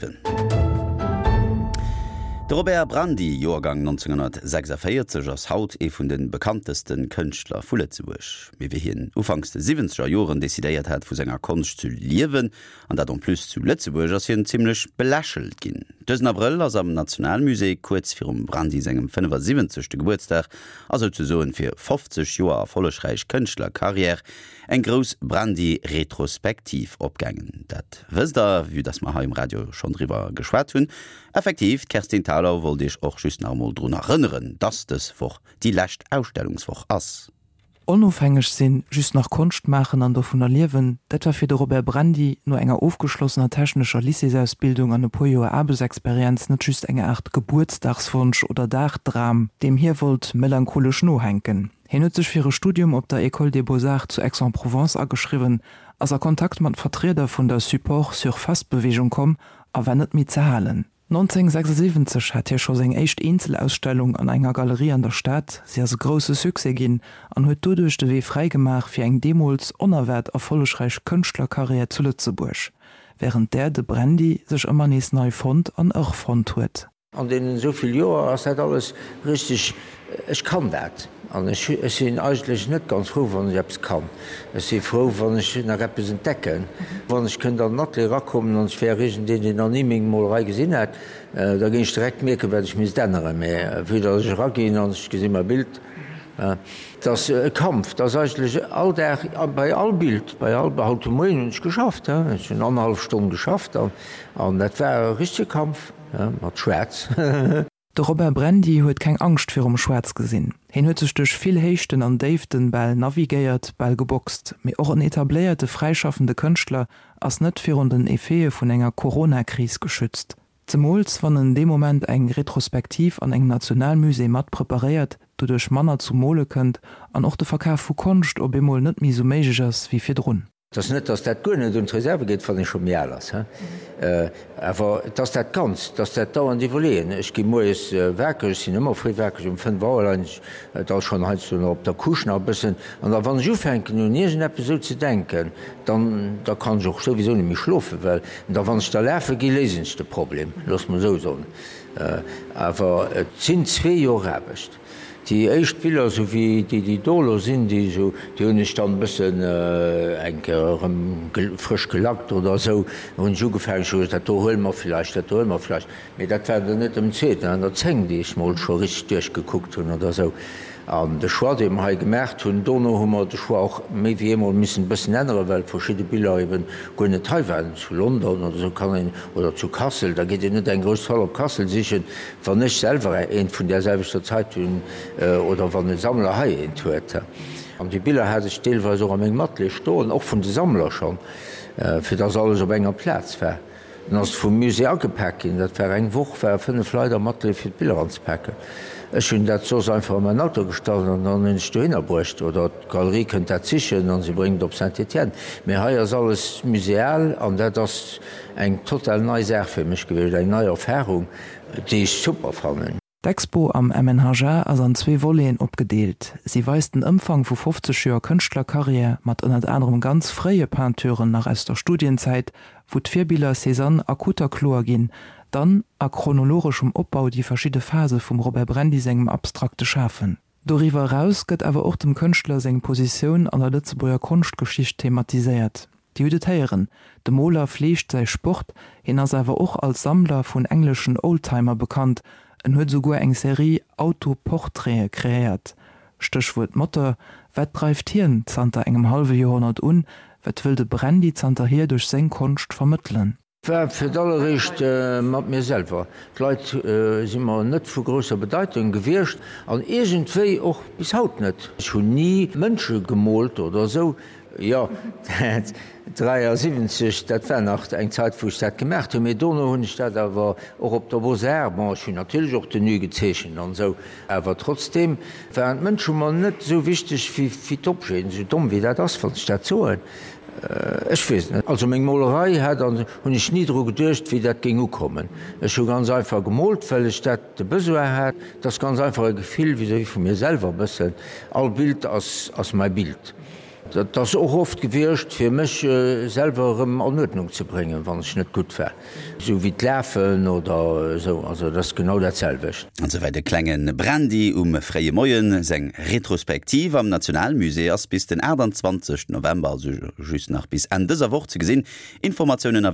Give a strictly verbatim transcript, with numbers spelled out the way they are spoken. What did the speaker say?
De Robert Brandy, Joergang nonzénghonnertsechsundvéierzeg, ass haut ee vun de bekannteste Kënschtler vu Lëtzebuerg. Mee wéi hien ufanks de siwwenzeger Joren decidéiert hat, vu senger Konscht zu liewen, an dat en plus zu Lëtzebuerg, ass hien zimmlech belächelt ginn. Dësen Abrëll ass am Nationalmusée, kuerz virum Brandy sengem fënnefasiwwenzegste Gebuertsdag a souzesoen fir fofzeg Joer erfollegräich Kënschtlerkarriär, eng grouss Brandy-Retrospektiv opgaangen. Dat wësst der, vue dass mer hei um Radio schonn driwwer geschwat hunn. Effektiv, d'Kerstin Thalau wollt iech och just nach emol drun erënneren, dass dës Woch déi lescht Ausstellungswoch ass. Onofhängeg sinn, just nach Konscht maachen an dovunner liewen, dat war fir de Robert Brandy no enger ofgeschlossener technescher Lycéesausbildung an e puer Joer Aarbechtsexperienz net just eng Aart Gebuertsdagswonsch oder Dagdram, deem hie wollt melancholesch nohänken. Hien huet sech fir e Studium op der École des Beaux-Arts zu Aix-en-Provence ageschriwwen, ass a Kontakt mat Vertrieder vun der Support-Surface-Beweegung komm a war net méi ze halen. nonzénghonnertsechsundsiwwenzeg hat hie scho seng éischt Eenzelausstellung an enger Galerie an der Stad. Si ass e grousse Succès ginn an huet doduerch de Wee fräi gemaach fir eng deemools onerwaart erfollegräich Kënschtlerkarriär zu Lëtzebuerg, wärend där de Brandy sech ëmmer nees nei fonnt an erfonnt huet. An deenen esou vill Joer ass dat alles richteg, ech kann dat. An ech sinn eigentlech net ganz frou, wann ech eppes kann. Ech si frou, wann ech nach eppes entdecken. Wann ech kënnt an den Atelier erakommen an ech wär iergendeen, deen nach ni meng Molerei gesinn hätt, da géing ech direkt mierken, wat ech misst änneren. Mä vue datt ech eraginn an ech gesi mäi Bild, et ass e Kampf. Et ass eigentlech all Dag, bei all Bild, bei all, haut de Moien hunn ech geschafft, ech hunn annerhallef Stonn geschafft an dat war e richtege Kampf mat Schwaarz. De Robert Brandy huet keng Angscht virum Schwaarz gesinn. Hien huet sech duerch vill Héichten an Déiften bal navigéiert, bal geboxt. Mee och en etabléierte fräischaffende Kënschtler ass net virun den Effete vun enger Corona-Kris geschützt. Zemools wann en dee Moment eng Retrospektiv an engem Nationalmusée mat preparéiert, doduerch manner zum Mole kënnt an och de Verkaf vu Konscht op eemol net méi esou méiglech ass wéi virdrun. Et ass net, datt dat guer net un d'Reserve geet, wann ee scho méi al ass, awer et ass dat Ganzt, et ass dat dauernd Iwwerleeën. Ech gi moies wakereg, ech sinn ëmmer fréi wakereg, um fënnef Auer leien ech da schonn heiansdo nach op der Couche nach e bëssen. An da wann ech ufänken un iergendeppes esou ze denken, dann da kann ech och souwisou net méi schlofen, well da wann ech da lafe gi, léisen ech de Problem, loosse mer esou soen. Awer et sinn zwee Joer Aarbecht. Déi éischt Biller, esou wéi déi, déi do elo sinn, déi esou, déi hunn ech dann e bëssen eng Kéier erëm frësch gelackt oder esou. Da hunn ech ugefaangen, ech hu gesot, dat do huele mer villäicht, dat do huele mer villäicht. Mee dat waren der net ëm zwee, dat waren der zéng, déi ech mol scho richteg duerchgekuckt hunn oder esou. An de Choix, dee mer hei gemaacht hunn, dono hu mer de Choix och méi wéi eemol missen e bëssen änneren, well verschidde Biller eben guer net hei waren, zu London oder esou kann een, oder zu Kassel, da geet een net eng grouss Toile op Kassel sichen, wann ech selwer eent vun där selwechter Zait hunn oder wann e Sammler hei eent huet. An déi Biller hat ech deelweis och a mengem Atelier stoen, och vun de Sammler schonn, fir dass alles op enger Plaz war. Dann ass et vum Musée agepak ginn. Dat war eng Woch, ware fënnef Leit am Atelier fir d'Biller anzepaken. Ech hunn dat soss einfach a mäin Auto gestallt an dann hunn ech dohinner bruecht. Oder d'Galerie kënnt dat sichen an se bréngt et op Saint-Étienne. Mee hei ass alles museal an dat ass eng total nei Saach fir mech gewiescht, eng nei Erfarung, déi ech super fannen. D'Expo am M N H A ass an zwee Voleten opgedeelt. Si weist den Ëmfang vu fofzeg Joer Kënschtlerkarriär mat ënnert anerem ganz fréie Peinturen nach aus der Studienzäit, wou d'Virbiller Cézanne akuter kloer ginn, dann a chronologeschem Opbau déi verschidde Phase vum Robert Brandy sengem abstrakte Schafen. Doriwwer eraus gëtt awer och dem Kënschtler seng Positioun an der Lëtzebuerger Konschtgeschicht thematiséiert. Dir hutt et héieren, de Moler fleegt säi Sport, hien ass awer och als Sammler vun engleschen Oldtimer bekannt, en huet esouguer eng Serie Autoportraite kreéiert. Stéchwuert Motor, wat dreift hien zanter engem hallwe Joerhonnert un, wat wëll de Brandy zanterhier duerch seng Konscht vermëttelen? War fir d'alleréischt mat mir selwer. D'Leit si mer net vu grousser Bedeitung gewiescht an iergendwéi och bis haut net. Ech hunn ni Mënsche gemoolt oder esou. Jo, dräiasiwwenzeg, dat war nach eng Zait, wou ech dat gemaach hunn, mee dono hunn ech dat awer och op der Beaux-Arts, bon, ech hunn natierlech och Tenue gezeechent an esou, awer trotzdeem waren d'Mënsche mer net esou wichteg wéi d'Objeten, esou domm wéi dat ass, wann ech dat soen. Ech weess et net. Also meng Molerei hat an hunn ech ni dru geduecht, wéi dat géing ukommen. Ech hu ganz einfach gemoolt, well ech dat de Besoin hat. Et ass ganz einfach e Gefill vis-à-vis vu mir selwer e bëssen. All Bild ass ass mäi Bild. Dat ass och oft gewiescht, fir mech selwer erëm an Uerdnung ze bréngen, wann ech net gutt war. Esou wéi d'Lafen oder esou, also dat ass genau dat selwecht. An souwäit de klenge Brandy um fréie Moien. Seng Retrospektiv am Nationalmusée ass bis den achtundzwanzegsten November, also just nach bis Enn dëser Woch ze gesinn. Informatiounen a